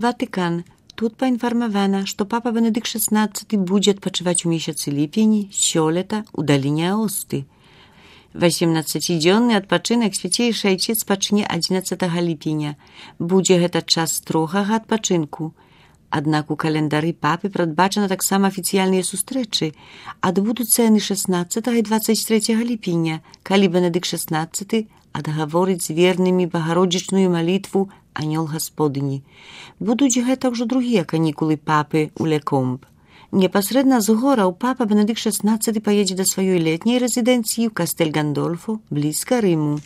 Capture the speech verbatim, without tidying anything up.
Ватыкан. Тут паінфармавана, што папа Бенедыкт шестнадцаты будзе адпачываць у месяцы ліпені сёлета ў даліне Аосты. восемнаццацідзённы адпачынак свяцейшы айцец пачне адзінаццатага ліпеня. Будзе гэта час строгага адпачынку. Аднак у календары папы прадбачана таксама афіцыяльныя сустрэчы. Адбудуцца яны шэснаццатага і дваццаць трэцяга ліпеня, калі Бенедыкт шестнадцаты адгаворыць з вернымі багародзічную малітву «Анёл Гасподыні». Будуць гэта ўжо другія канікулы папы ў Лекомб. Непасрэдна з гораў папа Бенедыкт шестнадцаты паедзе да сваёй летняй рэзідэнцыі ў Кастэль Гандольфо, блізка Рыму.